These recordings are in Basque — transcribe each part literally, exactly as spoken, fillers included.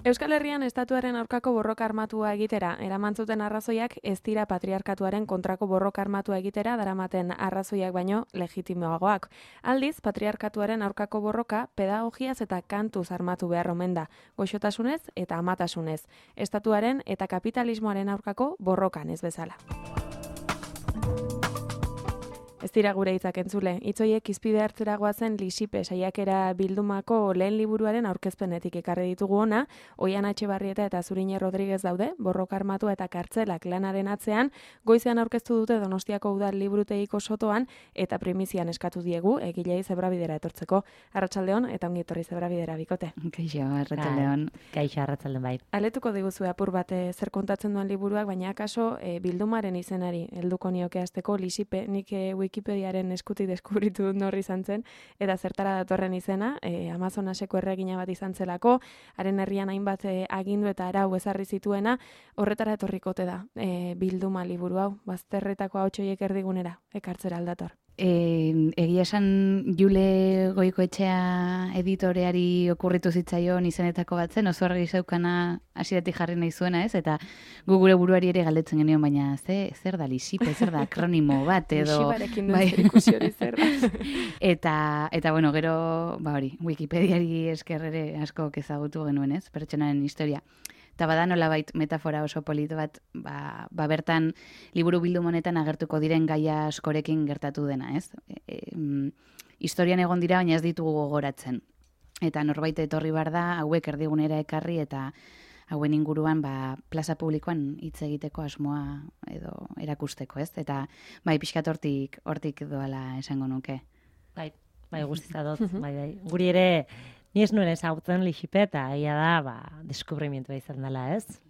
Euskal Herrian estatuaren aurkako borroka armatua egitera eraman zuten arrazoiak ez dira patriarkatuaren kontrako borroka armatua egitera daramaten arrazoiak baino legitimoagoak. Aldiz, patriarkatuaren aurkako borroka pedagogiaz eta kantuz armatu behar omen da, goxotasunez eta amatasunez. Estatuaren eta kapitalismoaren aurkako borrokan ez bezala. Ez dira gure hitzak entzule, hitzoiek izpide hartzera goazen Lisipe saiakera bildumako lehen liburuaren aurkezpenetik ekarri ditugu ona, Oian Etxebarrieta eta Zurine Rodriguez daude, borroka armatua eta kartzelak lanaren atzean, goizean aurkeztu dute Donostiako udal liburutegiko sotoan eta primizian eskatu diegu egilei Zebrabidera etortzeko. Arratsaldeon eta ongi etorri Zebrabidera bikote. Kaixo, arratsaldeon. Kaixo, arratsaldeon bai. Aletuko diguzu apur bat e, zer kontatzen duen liburuak, baina akaso e, bildumaren izenari helduko nioke hasteko Lisipe, nik e, Wikipediaren eskutik deskubritu dut norri izan zen, eta zertara datorren izena, e, Amazonaseko erregina bat izan zelako, haren herrian hainbat e, agindu eta arau ezarri zituena, horretara etorrikote da, e, bilduma liburu hau, bazterretako ahotsoiek erdigunera, ekartzera aldator. E, egia esan Jule Goikoetxea editoreari okurritu zitzaion izenetako bat zen, oso argi zeukana hasieratik jarri nahi zuena, ez? Eta gu gure buruari ere galdetzen genion, baina ze, zer da Lisipe, zer da akronimo bat, edo... Lisiparekin duen zerikusi hori zer da. eta, eta, bueno, gero, ba hori, Wikipediari esker ere asko ezagutu genuen, ez? Pertsonaren historia. Eta bada nolabait metafora oso polito bat, ba, ba bertan liburu bildum honetan agertuko diren gaia askorekin gertatu dena, ez? E, e, historian egon dira, baina ez ditugu gogoratzen. Eta norbait etorri bar da, hauek erdigunera ekarri eta hauen inguruan ba, plaza publikoan hitz egiteko asmoa edo erakusteko, ez? Eta bai, pixkat hortik, hortik doala esango nuke. Bai, bai guztiza dut, bai, bai. Guri ere... Ni ez nuen ezagutzen Lisipe eta ia da, ba, deskubrimentua izan dela, ez?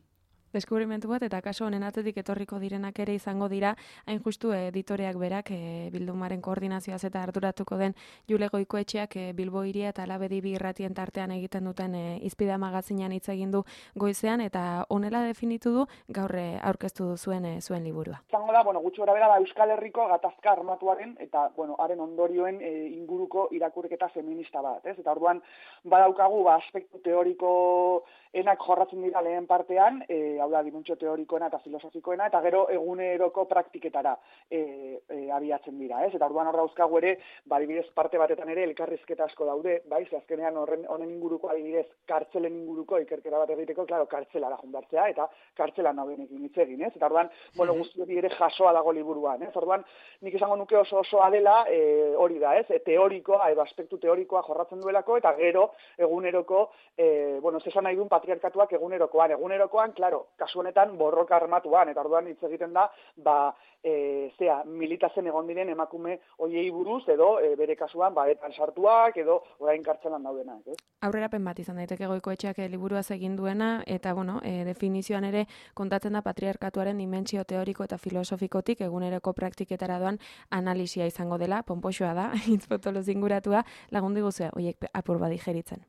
Deskubrimentu bat, eta kaso honen atzetik etorriko direnak ere izango dira, hain justu editoreak berak e, bildumaren koordinazioaz eta arduratuko den Jule Goikoetxeak e, Bilbo Hiria eta Labedi bi irratien tartean egiten duten e, Izpide magazinean hitz egin du goizean, eta honela definitu du gaur e, aurkeztu du zuen e, zuen liburua. Izango da, bueno, gutxi gorabehera da Euskal Herriko gatazka armatuaren eta, bueno, haren ondorioen e, inguruko irakurketa feminista bat, ez? Eta orduan badaukagu ba aspektu teoriko enak jorratzen dira lehen partean, e, hau da, dimentsio teorikoena eta filosofikoena, eta gero eguneroko praktiketara e, e, abiatzen dira, ez? Eta orduan hor dauzkagu ere, ba, adibidez parte batetan ere elkarrizketa asko daude, bai, ze azkenean horren honen inguruko adibidez kartzelen inguruko ikerkera bat egiteko, claro, kartzelara jundartzea eta kartzelan daudenekin hitz egin, ez? Eta orduan, bueno, guzti hori ere jasoa dago liburuan, ez? Orduan, nik esango nuke oso osoa dela, e, hori da, ez? E, teorikoa, edo aspektu teorikoa jorratzen duelako, eta gero eguneroko, e, bueno, ez esan nahi duen patriarkatuak egunerokoan, egunerokoan, claro, kasu honetan borroka armatuan, eta orduan hitz egiten da, ba, e, zea, militazen egon diren emakume hoiei buruz, edo e, bere kasuan, ba, etan sartuak, edo orain kartzelan daudenak, ez? Aurrerapen bat izan daiteke Goikoetxeak liburuaz egin duena, eta, bueno, e, definizioan ere kontatzen da patriarkatuaren dimentsio teoriko eta filosofikotik eguneroko praktiketara doan analisia izango dela, ponpoxoa da, hitz potoloz inguratua, lagundu guzea, horiek apur bat digeritzen.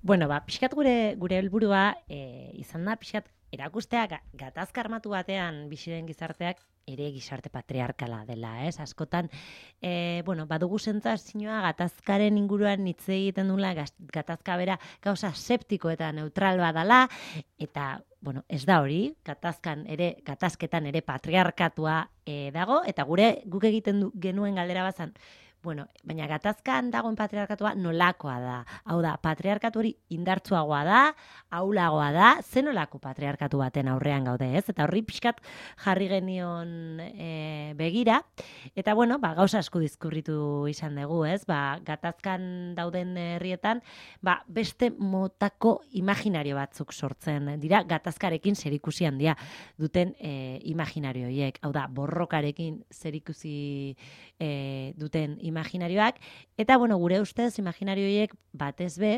Bueno, ba, pixkat gure gure helburua e, izan da, pixkat erakustea gatazka armatu batean biziren gizarteak ere gizarte patriarkala dela, ez? Askotan, e, bueno, badugu sentsazioa gatazkaren inguruan hitz egiten dula, gatazka bera gauza septiko eta neutral badala, eta, bueno, ez da hori, gatazkan ere, gatazketan ere patriarkatua e, dago, eta gure guk egiten du, genuen galdera bazan, bueno, baina gatazkan dagoen patriarkatua nolakoa da. Hau da, patriarkatu hori indartsuagoa da, ahulagoa da, zen nolako patriarkatu baten aurrean gaude, ez? Eta horri pixkat jarri genion e, begira. Eta, bueno, ba, gauza asko diskurritu izan dugu, ez? Ba, gatazkan dauden herrietan, ba, beste motako imaginario batzuk sortzen dira, gatazkarekin zerikusi handia duten e, imaginario horiek. Hau da, borrokarekin zerikusi e, duten imaginarioak, eta, bueno, gure ustez, imaginario horiek batez be,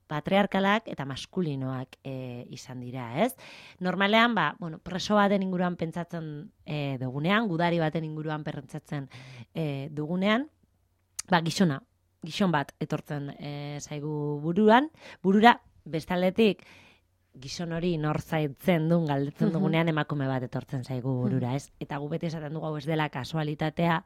patriarkalak eta maskulinoak e, izan dira, ez? Normalean, ba, bueno, preso baten inguruan pentsatzen e, dugunean, gudari baten inguruan pentsatzen e, dugunean, ba, gizona, gizon bat etortzen e, zaigu buruan, burura, bestaldetik, gizon hori nor zaitzen duen galdetzen dugunean emakume bat etortzen zaigu burura, ez? Eta gu beti esaten dugu hau ez dela kasualitatea,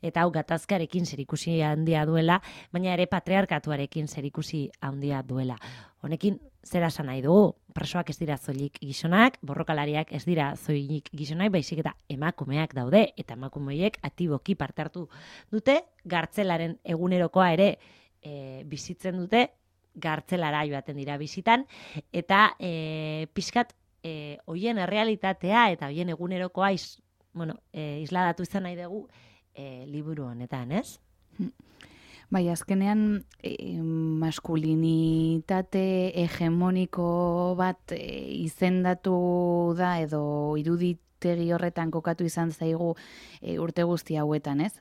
eta hau gatazkarekin zerikusi handia duela, baina ere patriarkatuarekin zerikusi handia duela. Honekin zera esan nahi dugu, presoak ez dira zoilik gizonak, borrokalariak ez dira zoilik gizonak, baizik eta emakumeak daude, eta emakumeek aktiboki parte hartu dute, gartzelaren egunerokoa ere e, bizitzen dute, gartzelara joaten dira bizitan, eta e, pixkat e, hoien errealitatea eta hoien egunerokoa iz, bueno, e, isladatu izan nahi dugu e, liburu honetan, ez? Bai, azkenean e, maskulinitate hegemoniko bat e, izendatu da edo iruditegi horretan kokatu izan zaigu e, urte guzti hauetan, ez?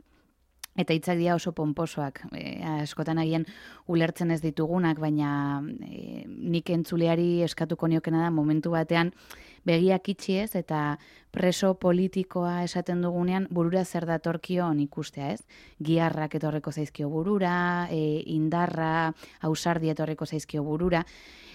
Eta hitzak dira oso ponposoak, e, askotan agian ulertzen ez ditugunak, baina e, nik entzuleari eskatuko niokena da momentu batean begiak itxi ez, eta preso politikoa esaten dugunean burura zer datorkion ikustea ez. Giharrak etorreko zaizkio burura, e, indarra, ausardia etorreko zaizkio burura,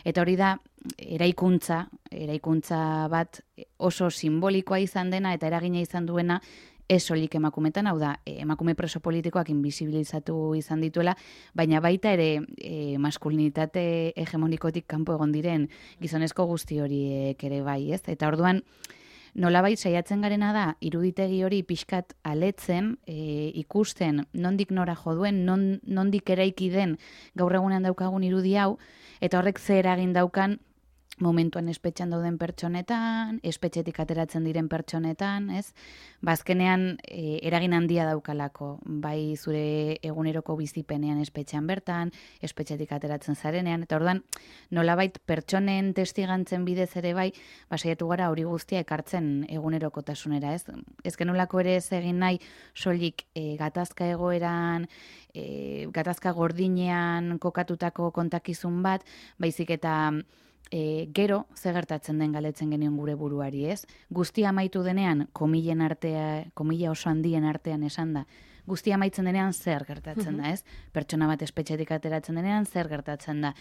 eta hori da eraikuntza, eraikuntza bat oso simbolikoa izan dena eta eragina izan duena, ez soilik emakumetan, hau da, emakume preso politikoak invisibilizatu izan dituela, baina baita ere e, maskulinitate hegemonikotik kanpo egon diren gizonezko guzti horiek ere bai, ez? Eta orduan, nolabait saiatzen garena da, iruditegi hori pixkat aletzen, e, ikusten nondik nora jo duen, non, nondik eraiki den gaur egunean daukagun irudi hau, eta horrek ze eragin daukan momentuan espetxean dauden pertsonetan, espetxetik ateratzen diren pertsonetan, ez? Bazkenean e, eragin handia daukalako, bai zure eguneroko bizipenean espetxean bertan, espetxetik ateratzen zarenean, eta orduan nolabait pertsonen testigantzen bidez ere bai, basaiatu gara hori guztia ekartzen egunerokotasunera, ez? Ez genolako ere ez egin nahi soilik e, gatazka egoeran, e, gatazka gordinean kokatutako kontakizun bat, baizik eta E, gero, ze gertatzen den galetzen genion gure buruari, ez? Guztia amaitu denean, komilen artea, komila oso handien artean esan da, guztia amaitzen denean zer gertatzen da, ez? Pertsona bat espetxetik ateratzen denean zer gertatzen da.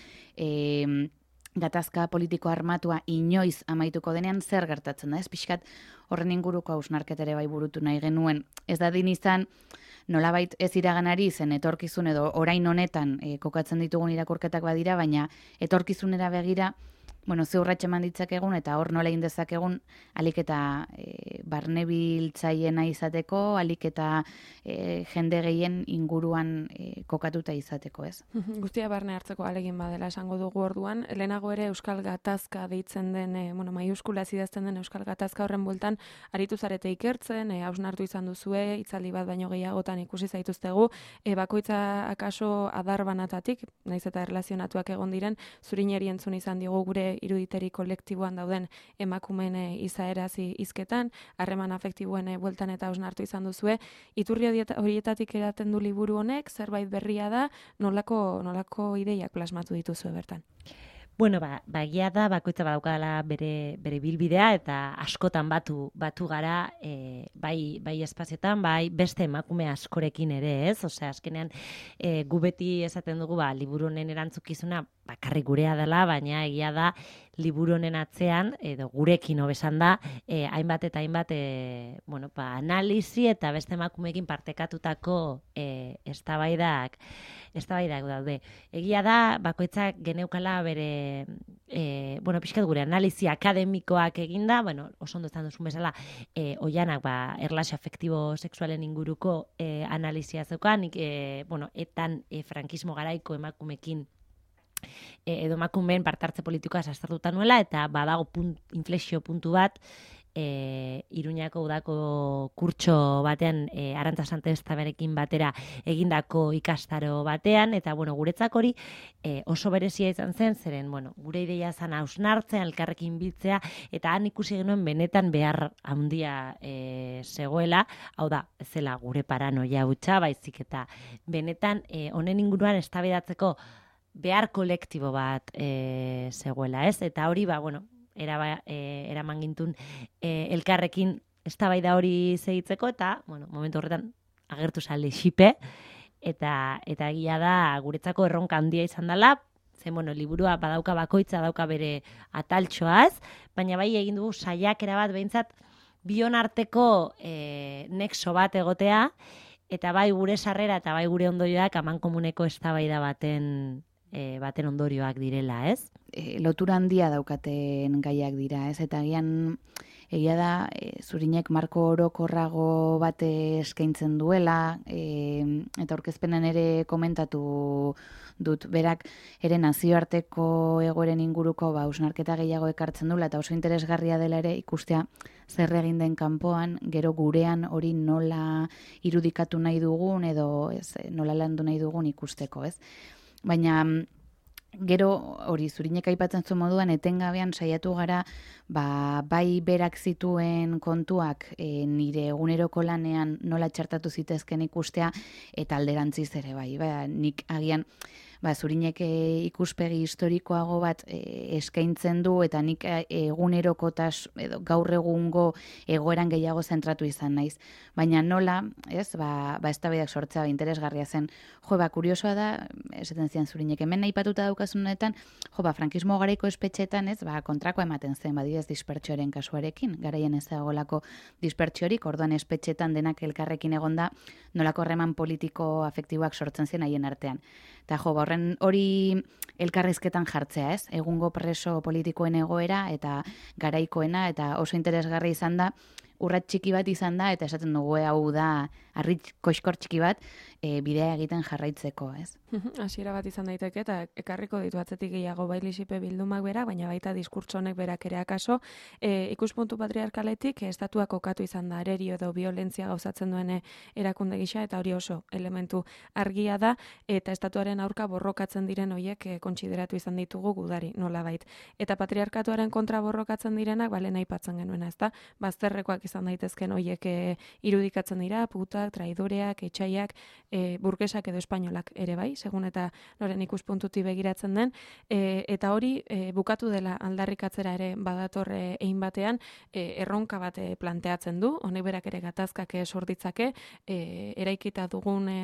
E, gatazka politiko armatua inoiz amaituko denean zer gertatzen da, ez? Pixkat horren inguruko hausnarketere bai burutu nahi genuen. Ez da din izan, nolabait ez iraganari zen etorkizun edo orain honetan e, kokatzen ditugun irakurketak badira, baina etorkizunera begira, bueno, ze urratxe eman ditzakegun eta hor nola egin dezakegun alik eta e, barnebiltzaiena izateko, alik eta e, jende gehien inguruan e, kokatuta izateko, ez? Guztia barne hartzeko alegin badela esango dugu orduan, lehenago ere Euskal Gatazka deitzen den, e, bueno, maiuskula idazten den Euskal Gatazka horren bueltan aritu zarete ikertzen, e, hausnartu izan duzue, hitzaldi bat baino gehiagotan ikusi zaituztegu, e, bakoitza akaso adar banatatik, naiz eta erlazionatuak egon diren, zurineri entzun izan diogu gure iruditeri kolektiboan dauden emakumeen izaeraz hizketan, harreman afektiboen bueltan eta hausnartu izan duzue. Iturri horietatik eraten du liburu honek, zerbait berria da, nolako, nolako ideiak plasmatu dituzue bertan? Bueno, ba, bagia da, bakoitza badaukadala bere, bere bilbidea eta askotan batu batu gara, e, bai, bai espazioetan, bai beste emakume askorekin ere, ez? Osea, azkenean e, gu beti esaten dugu, ba, liburu honen erantzukizuna bakarrik gurea dela, baina egia da liburu honen atzean, edo gurekin hobesan da, e, hainbat eta hainbat e, bueno, ba, analizi eta beste emakumeekin partekatutako e, eztabaidak eztabaidak daude. Egia da, bakoitzak geneukala bere, e, bueno, pixkat gure analizi akademikoak eginda, bueno, oso ondo esan duzun bezala, e, oianak, ba, erlazio afektibo sexualen inguruko e, analizia zeukan, e, bueno, etan e, frankismo garaiko emakumekin e, edo emakumeen partartze politikoa sastartuta nuela, eta badago punt, inflexio puntu bat, E, Iruñako udako kurtso batean e, Arantza Santestaberekin batera egindako ikastaro batean, eta bueno, guretzak hori e, oso berezia izan zen, zeren bueno, gure ideia zan hausnartzen, elkarrekin biltzea, eta han ikusi genuen benetan behar handia e, zegoela, hau da, ez zela gure paranoia hutsa, baizik eta benetan e, honen inguruan eztabaidatzeko behar kolektibo bat e, zegoela, ez? Eta hori, ba, bueno, Era, e, eraman gintun e, elkarrekin eztabaida hori zehitzeko, eta bueno, momentu horretan agertu zale xipe, eta eta egia da guretzako erronka handia izan dela, zen bueno, liburua badauka bakoitza dauka bere ataltxoaz, baina bai egin dugu saiakera bat behintzat bion arteko e, nexo bat egotea, eta bai gure sarrera eta bai gure ondorioak amankomuneko eztabaida baten e, baten ondorioak direla, ez? E, lotura handia daukaten gaiak dira, ez? Eta gian egia da, e, Zurinek marko orokorrago bate eskaintzen duela, e, eta aurkezpenan ere komentatu dut, berak ere nazioarteko egoeren inguruko ba, hausnarketa gehiago ekartzen duela, eta oso interesgarria dela ere ikustea zer egin den kanpoan, gero gurean hori nola irudikatu nahi dugun, edo ez, nola landu nahi dugun ikusteko, ez? Baina gero hori Zurinek aipatzen zuen moduan etengabean saiatu gara ba, bai berak zituen kontuak e, nire eguneroko lanean nola txertatu zitezken ikustea eta alderantziz ere bai, ba, nik agian ba, Zurinek e, ikuspegi historikoago bat e, eskaintzen du eta nik e, egunerokotas edo gaur egungo egoeran gehiago zentratu izan naiz. Baina nola, ez, ba, ba eztabaidak sortzea interesgarria zen. Jo, ba, kuriosoa da, esaten zian Zurinek, hemen aipatuta daukasunetan, jo, ba, frankismo garaiko espetxetan, ez, ba, kontrako ematen zen, badidez dispertsioaren kasuarekin, garaien ez dagoelako dispertsiorik, orduan espetxetan denak elkarrekin egonda, nolako harreman politiko afektiboak sortzen zen haien artean. Eta jo, ba, horren hori elkarrizketan jartzea, ez? Egungo preso politikoen egoera eta garaikoena, eta oso interesgarri izan da, urrat txiki bat izan da, eta esaten dugu hau da, arritz koxkor txiki bat, e, bidea egiten jarraitzeko, ez? Hasiera bat izan daiteke, eta ekarriko ditu atzetik gehiago bai Lisipe bildumak berak, baina baita diskurtso honek berak ere akaso, e, ikuspuntu patriarkaletik, estatuak kokatu izan da, arerio edo violentzia gauzatzen duen erakunde gisa, eta hori oso elementu argia da, eta estatuaren aurka borrokatzen diren hoiek e, kontsideratu izan ditugu gudari, nolabait. Eta patriarkatuaren kontra borrokatzen direnak, balen aipatzen genuena, ezta? Bazterrekoak izan daitezken hoiek e, irudikatzen dira, putak, traidoreak, etxaiak, e, burgesak edo espainolak ere bai, segun eta noren ikuspuntuti begiratzen den, e, eta hori e, bukatu dela aldarrikatzera ere badatorre egin batean, e, erronka bat e, planteatzen du, honek berak ere gatazkak sorditzake, e, eraikita dugun e,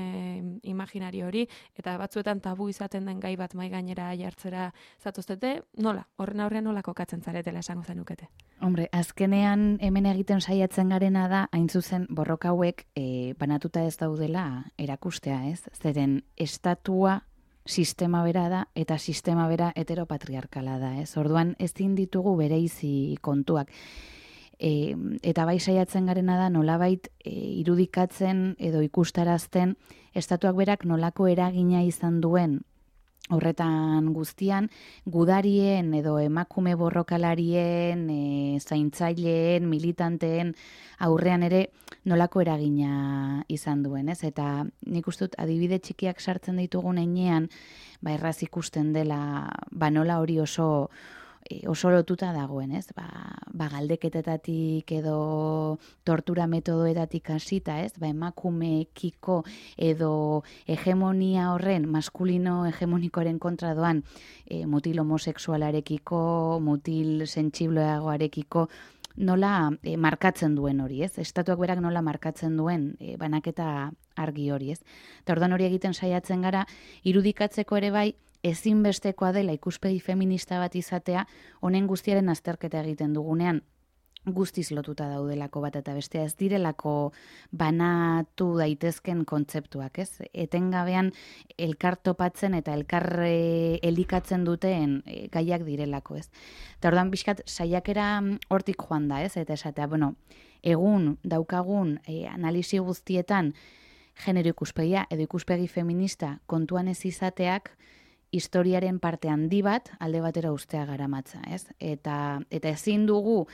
imaginari hori, eta batzuetan tabu izaten den gai bat mai gainera jartzera zatoztete, nola, horren aurrean nola kokatzen zaretela esango zenukete? Hombre, azkenean hemen egiten saiatzen garena da, hain zuzen borroka hauek e, banatuta ez daudela erakustea, ez? Zeren estatua sistema bera da eta sistema bera heteropatriarkala da, ez? Orduan ezin ditugu bereizi kontuak. E, eta bai saiatzen garena da nolabait e, irudikatzen edo ikustarazten estatuak berak nolako eragina izan duen horretan guztian, gudarien edo emakume borrokalarien, e, zaintzaileen, militanteen aurrean ere nolako eragina izan duen, ez? Eta nik uste dut adibide txikiak sartzen ditugun heinean, ba erraz ikusten dela, ba nola hori oso oso lotuta dagoen, ez? Ba, ba galdeketetatik edo tortura metodoetatik hasita, ez? Ba emakumeekiko edo hegemonia horren maskulino hegemonikoaren kontra doan e, mutil homosexualarekiko, mutil sentsibleagoarekiko nola e, markatzen duen hori, ez? Estatuak berak nola markatzen duen e, banaketa argi hori, ez? Eta orduan hori egiten saiatzen gara, irudikatzeko ere bai, ezinbestekoa dela ikuspegi feminista bat izatea, honen guztiaren azterketa egiten dugunean, guztiz lotuta daudelako bat eta bestea, ez direlako banatu daitezken kontzeptuak, ez? Etengabean elkar topatzen eta elkar e, elikatzen duten e, gaiak direlako, ez? Eta orduan pixkat saiakera hortik joan da, ez? Eta esatea, bueno, egun daukagun e, analisi guztietan genero ikuspegia edo ikuspegi feminista kontuan ez izateak historiaren parte handi bat alde batera ustea garamatza, ez? Eta, eta ezin dugu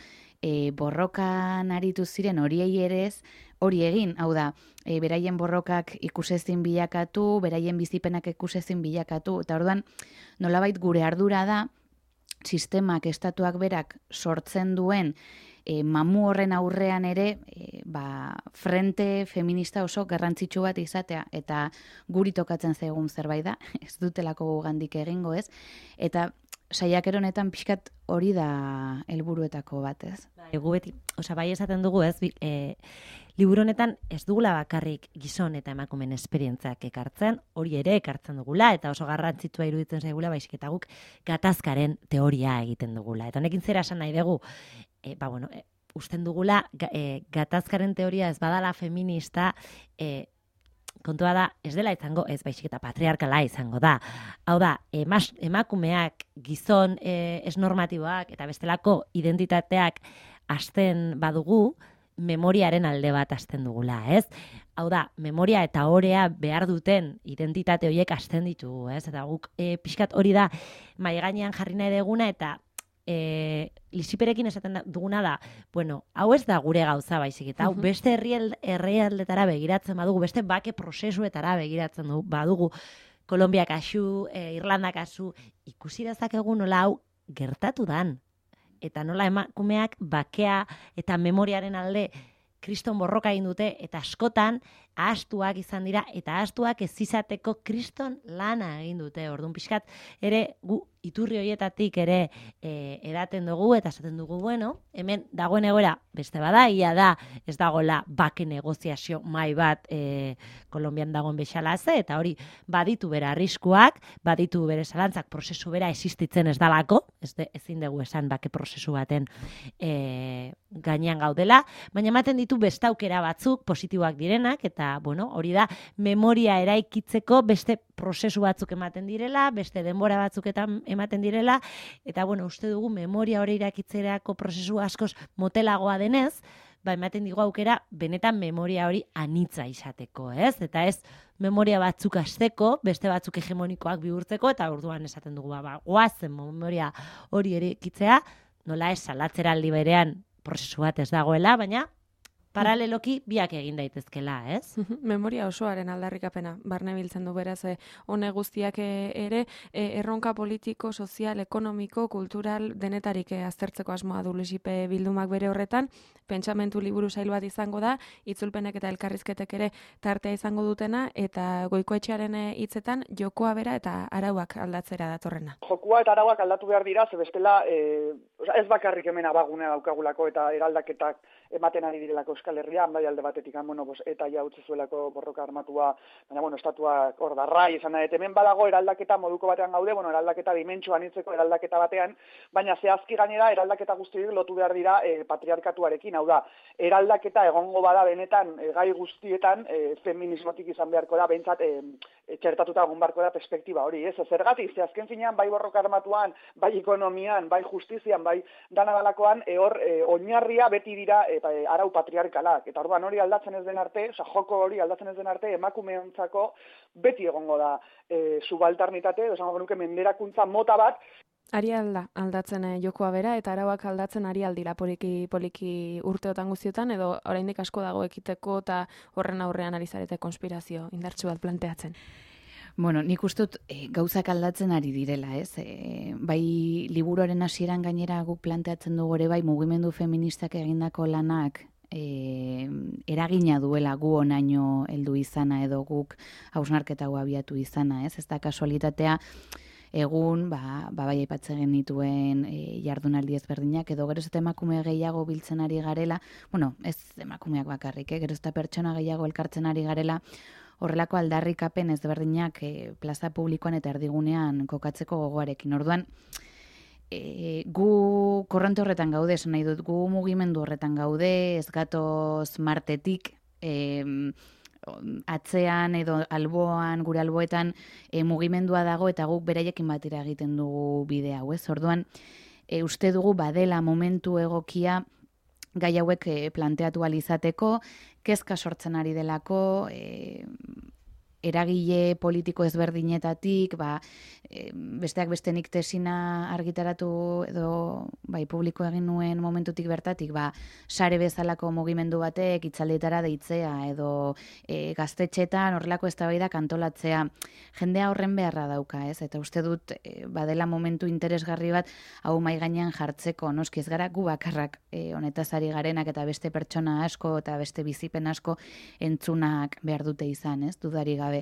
e, borrokan aritu ziren horiei ere ez, hori egin, hau da, e, beraien borrokak ikusezin bilakatu, beraien bizipenak ikusezin bilakatu, eta orduan nolabait gure ardura da, sistemak, estatuak berak sortzen duen E, mamu horren aurrean ere e, ba, frente feminista oso garrantzitsu bat izatea eta guri tokatzen zaigun zerbait da, ez dutelako gugandik egingo, ez? Eta saiakera honetan pixkat hori da helburuetako bat, ez? Egu beti, osea, bai esaten dugu, ez? E, liburu honetan ez dugula bakarrik gizon eta emakumen esperientziak ekartzen, hori ere ekartzen dugula, eta oso garrantzitsua iruditzen zaigula, baizik eta guk gatazkaren teoria egiten dugula. Eta honekin zera esan nahi dugu, E, ba, bueno, e, usten dugula e, gatazkaren teoria ez badala feminista, e, kontua da, ez dela izango, ez baizik eta patriarkala izango da. Hau da, emas, emakumeak, gizon e, ez normatiboak eta bestelako identitateak hasten badugu, memoriaren alde bat hasten dugula, ez? Hau da, memoria eta orea behar duten identitate horiek hasten ditugu, ez? Eta guk e, pixkat hori da mai gainean jarri nahi deguna eta e, lisiperekin esaten duguna da, bueno, hau ez da gure gauza baizik, eta hau beste herrialdetara begiratzen badugu, beste bake prozesuetara begiratzen du, badugu, Kolombia kasu, e, Irlanda kasu, ikusi dezakegu nola hau gertatu dan. Eta nola emakumeak bakea eta memoriaren alde kriston borroka egin dute, eta askotan ahastuak izan dira, eta ahastuak ez izateko kriston lana egin dute. Orduan pixkat ere gu iturri horietatik ere e, edaten dugu, eta esaten dugu, bueno, hemen dagoen egoera beste bada, ia da ez dagoela bake negoziazio mai bat e, Kolombian dagoen bezala ze, eta hori baditu bera arriskuak, baditu bere zalantzak, prozesu bera existitzen ez dalako, ez de, ezin dugu esan bake prozesu baten e, gainean gaudela, baina ematen ditu beste aukera batzuk positiboak direnak, eta bueno, hori da memoria eraikitzeko beste prozesu batzuk ematen direla, beste denbora batzuk eta ematen direla, eta bueno, uste dugu memoria hori irakitzerako prozesu askoz motelagoa denez, ba ematen digu aukera benetan memoria hori anitza izateko, ez? Eta ez memoria batzuk hasteko, beste batzuk hegemonikoak bihurtzeko, eta orduan esaten dugu, ba, ba goazen memoria hori eraikitzea, nola ez salatzeraldi berean prozesu bat ez dagoela, baina paraleloki biak egin daitezkela, ez? Memoria osoaren aldarrikapena, barne biltzen du beraz, hone guztiak ere, erronka politiko, sozial, ekonomiko, kultural, denetarik aztertzeko asmoa du Lisipe bildumak bere horretan, pentsamentu liburu sail bat izango da, itzulpenek eta elkarrizketek ere tartea izango dutena, eta Goikoetxearen hitzetan jokoa bera eta arauak aldatzera datorrena. Jokoa eta arauak aldatu behar dira, ze bestela e, ez bakarrik hemen abagunea daukagulako eta eraldaketak ematen ari direlako Euskal Herrian, bai alde batetik, bueno, pues, eta ja utzi zuelako borroka armatua, baina, bueno, estatuak hor darrai, izan da, hemen badago eraldaketa moduko batean gaude, bueno, eraldaketa dimentsuan hitzeko eraldaketa batean, baina zehazki gainera eraldaketa guztiak lotu behar dira e, patriarkatuarekin, hau da, eraldaketa egongo bada benetan e, gai guztietan e, feminismotik izan beharko da, behintzat e, e, txertatuta egon beharko da perspektiba hori, ez? Zergatik, ze azken finean, bai borroka armatuan, bai ekonomian, bai justizian, bai dana dalakoan, e, hor e, oinarria beti dira e, e, arau patriarkalak, eta orduan hori aldatzen ez den arte, oza, joko hori aldatzen ez den arte, emakumeontzako beti egongo da e, subalternitate, esango genuke menderakuntza mota bat. Ari alda, aldatzen eh, jokoa bera, eta arauak aldatzen ari aldira poliki, poliki urteotan guztiotan, edo oraindik asko dago ekiteko eta horren aurrean ari zarete konspirazio indartsu bat planteatzen. Bueno, nik ustut e, gauzak aldatzen ari direla, ez? E, bai liburuaren hasieran gainera guk planteatzen dugu ere bai mugimendu feministak egindako lanak e, eragina duela gu onaino heldu izana edo guk hausnarketa hau abiatu izana, ez? Ez da kasualitatea egun, ba, ba bai aipatzen genituen e, jardunaldi ezberdinak, edo gero eta emakume gehiago biltzen ari garela, bueno, ez emakumeak bakarrik, eh? Gero eta pertsona gehiago elkartzen ari garela, horrelako aldarrikapen ezberdinak e, plaza publikoan eta erdigunean kokatzeko gogoarekin. Orduan, e, gu korronte horretan gaude, esan nahi dut, gu mugimendu horretan gaude, ez gatoz Martetik, e, atzean edo alboan, gure alboetan e, mugimendua dago eta guk beraiekin batera egiten dugu bide hau, ez? Orduan, e, uste dugu badela momentu egokia gai hauek e, planteatu alizateko, kezka sortzen ari delako, e, eragile politiko ezberdinetatik, ba, e, besteak bestenik tesina argitaratu edo bai publiko egin nuen momentutik bertatik, ba, sare bezalako mugimendu batek itzaldietara deitzea edo e, gaztetxetan horrelako eztabaidak antolatzea, jendea horren beharra dauka, ez? Eta uste dut e, badela momentu interesgarri bat hau mai gainean jartzeko, noski ez gara gu bakarrak e, honetaz ari garenak eta beste pertsona asko eta beste bizipen asko entzunak behar dute izan, ez? Dudari gabe.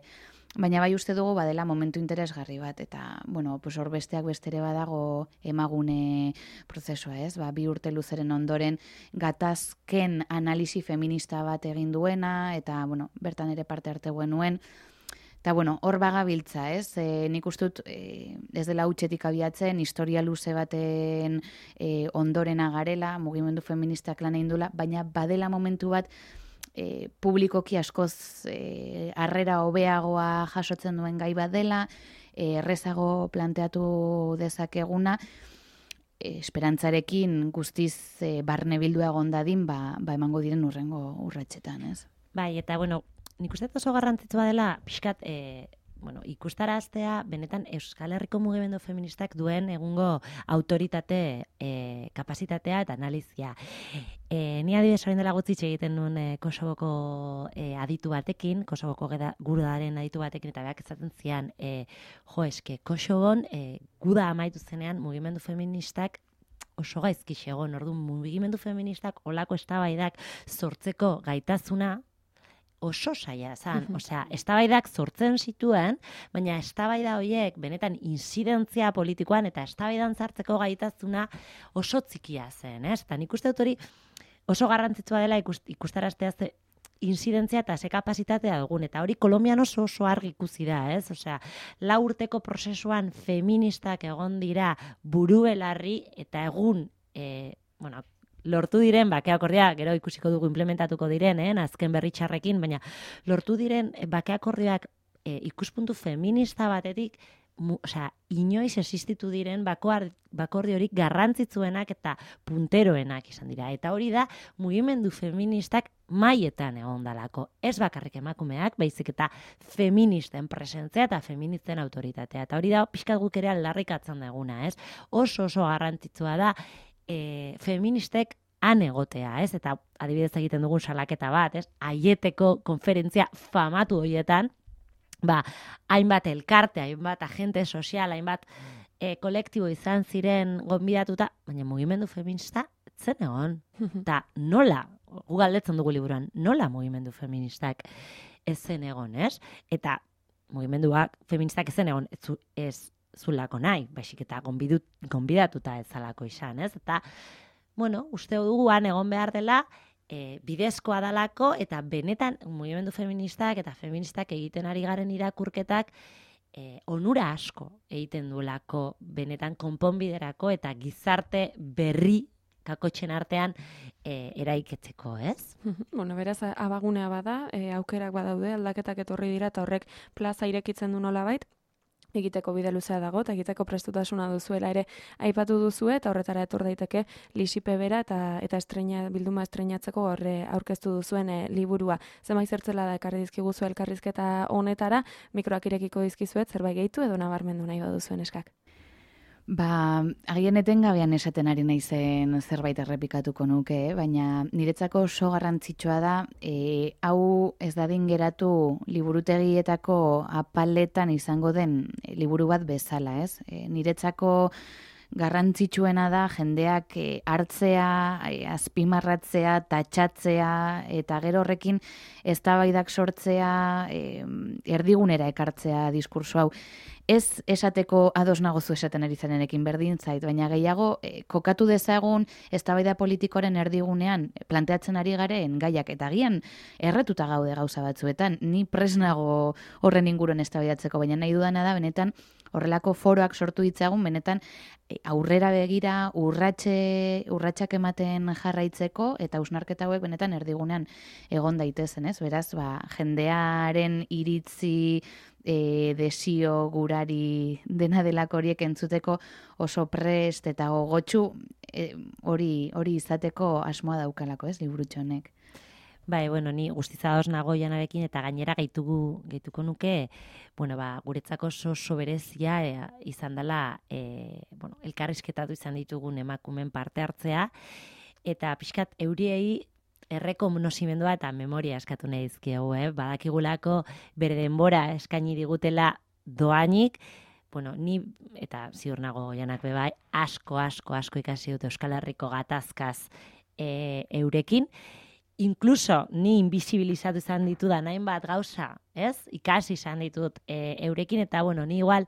Baina bai uste dugu badela momentu interesgarri bat, eta, bueno, pues hor besteak bestere badago emagune prozesua, ez? Ba, bi urte luzeren ondoren gatazken analisi feminista bat egin duena, eta, bueno, bertan ere parte arte nuen. Eta, bueno, hor bagabiltza, ez? E, nik ustut e, ez dela hutsetik abiatzen, historia luze baten e, ondorena garela, mugimendu feministak lan egin duela, baina badela momentu bat e, publikoki askoz e, harrera hobeagoa jasotzen duen gai bat dela, e, errezago planteatu dezakeguna, e, esperantzarekin guztiz e, barne bildua egon dadin, ba, ba emango diren urrengo urratsetan, ez? Bai, eta bueno, nik uste oso garrantzitsua dela, pixkat, e, bueno, ikustaraztea benetan Euskal Herriko mugimendu feministak duen egungo autoritate, e, kapasitatea eta analizia. E, ni adibidez orain dela gutxi egiten nuen e, Kosovoko e, aditu batekin, Kosovoko gudaren aditu batekin, eta berak ezaten zian, e, jo, eske, Kosovon e, guda amaitu zenean mugimendu feministak oso gaizki egon, orduan mugimendu feministak olako eztabaidak sortzeko gaitasuna oso saia zan, osea, eztabaidak sortzen zituen, baina eztabaida horiek benetan inzidentzia politikoan eta eztabaidan sartzeko gaitasuna oso txikia zen, ez? Eta nik uste dut hori oso garrantzitsua dela ikust, ikustaraztea ze inzidentzia eta ze kapasitatea dugun, eta hori Kolonbian oso oso argi ikusi da, ez? Osea, lau urteko prozesuan feministak egon dira burubelarri eta egun, e, bueno, lortu diren, bakeakordia, gero ikusiko dugu implementatuko diren, eh, azken berri txarrekin, baina lortu diren bakeakordiak e, ikuspuntu feminista batetik, mu, osea, inoiz existitu diren bakordiorik garrantzitsuenak eta punteroenak izan dira. Eta hori da, mugimendu feministak maietan egon dalako. Ez bakarrik emakumeak, baizik eta feministen presentzia eta feministen autoritatea. Eta hori da, pixkat guk ere aldarrikatzen duguna, ez? Oso oso garrantzitsua da, E, feministek han egotea, ez? Eta adibidez egiten dugun salaketa bat, ez? Aieteko konferentzia famatu horietan, ba, hainbat elkarte, hainbat agente sozial, hainbat e, kolektibo izan ziren gonbidatuta, baina mugimendu feminista zen egon. Eta nola, gu galdetzen dugu liburuan, nola mugimendu feministak ez zen egon, ez? Eta mugimenduak feministak ez zen egon, ez, ez zulako nahi, baizik eta gonbidut, gonbidatuta ez zalako izan, ez? Eta, bueno, uste dugu han egon behar dela, e, bidezkoa dalako, eta benetan mugimendu feministak eta feministak egiten ari garen irakurketak e, onura asko egiten duelako benetan konponbiderako eta gizarte berri kakotxen artean e, eraiketzeko, ez? Bueno, beraz, abagunea bada, e, aukerak badaude, aldaketak etorri dira, eta horrek plaza irekitzen du nolabait, egiteko bide luzea dago, eta egiteko prestutasuna duzuela ere aipatu duzue, eta horretara etor daiteke Lisipe bera eta eta estreina, bilduma estreinatzeko horre aurkeztu duzuen e, liburua. Zenbait zertzela da ekarri dizkiguzu elkarrizketa honetara, mikroak irekiko dizkizuet, zerbait gehitu edo nabarmendu nahi baduzuen eskak. Ba, agian etengabean esaten ari naizen zerbait errepikatuko nuke, eh? Baina niretzako oso garrantzitsua da, e, hau ez dadin geratu liburutegietako apaletan izango den liburu bat bezala, ez? E, niretzako garrantzitsuena da jendeak e, hartzea, e, azpimarratzea, tatxatzea, eta gero horrekin eztabaidak sortzea, e, erdigunera ekartzea diskurso hau. Ez esateko ados nagozu esaten ari zarenekin berdin zait, baina gehiago e, kokatu dezagun eztabaida politikoaren erdigunean planteatzen ari garen gaiak, eta agian erretuta gaude gauza batzuetan, ni presnago horren inguruan eztabaidatzeko, baina nahi dudana da benetan horrelako foroak sortu ditzagun, benetan e, aurrera begira urratxe, urratxak ematen jarraitzeko, eta hausnarketa hauek benetan erdigunean egon daitezen, ez? Beraz, ba, jendearen iritzi, E, desio gurari dena delako horiek entzuteko oso prest eta gogotsu e, hori hori izateko asmoa daukalako, ez, liburutxo honek. Bai, bueno, ni guztizados nago Janarekin, eta gainera gehitugu, gehituko nuke, bueno, ba, guretzako oso oso berezia e, izan dela, e, bueno, elkarrizketatu izan ditugun emakumen parte hartzea, eta pixkat euriei errekonozimendua eta memoria eskatu nahi dizkiegu, eh? Badakigulako bere denbora eskaini digutela doainik, bueno, ni eta ziur nago Janak bebai, asko, asko, asko ikasi dut Euskal Herriko gatazkaz e, eurekin, inkluso ni invisibilizatu izan ditudan hainbat gauza, ez? Ikasi izan ditut e, eurekin, eta bueno, ni igual,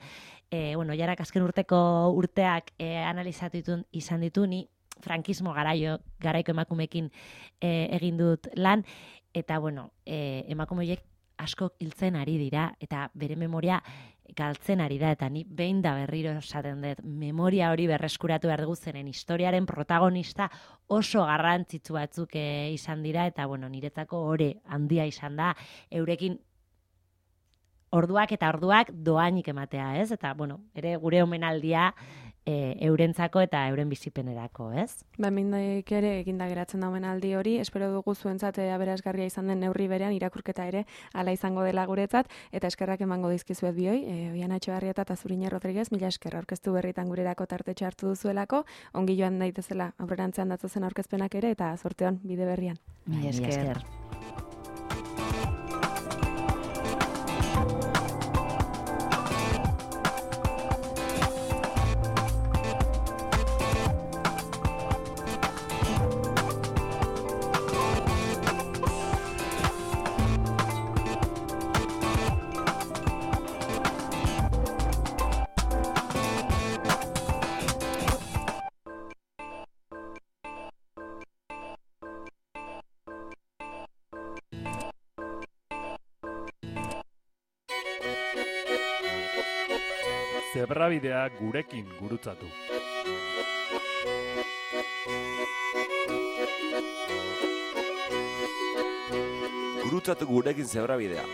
e, bueno, Janak azken urteko urteak e, analizatu ditun, izan ditu, ni frankismo garaio, garaiko emakumekin e, egin dut lan, eta bueno, e, emakumeek asko hiltzen ari dira, eta bere memoria galtzen ari da, eta ni behin da berriro esaten dut, memoria hori berreskuratu behar dugu zeren historiaren protagonista oso garrantzitsu batzuk e, izan dira, eta bueno, niretzako ore handia izan da, eurekin orduak eta orduak doainik ematea, ez? Eta, bueno, ere gure omenaldia e, eurentzako eta euren bizipenerako, ez? Ba, mindaik ere eginda geratzen da omenaldi hori, espero dugu zuentzat aberasgarria izan den neurri berean, irakurketa ere hala izango dela guretzat, eta eskerrak emango dizkizuet bioi, e, Oiana Etxebarrieta eta Zuriñe Rodriguez, mila esker aurkeztu berritan gurerako tartetxo hartu duzuelako, ongi joan daitezela aurrerantzean datozen aurkezpenak ere, eta zorteon bide berrian. Mila esker. Zebrabidea gurekin gurutzatu. Gurutzatu gurekin zebrabidea.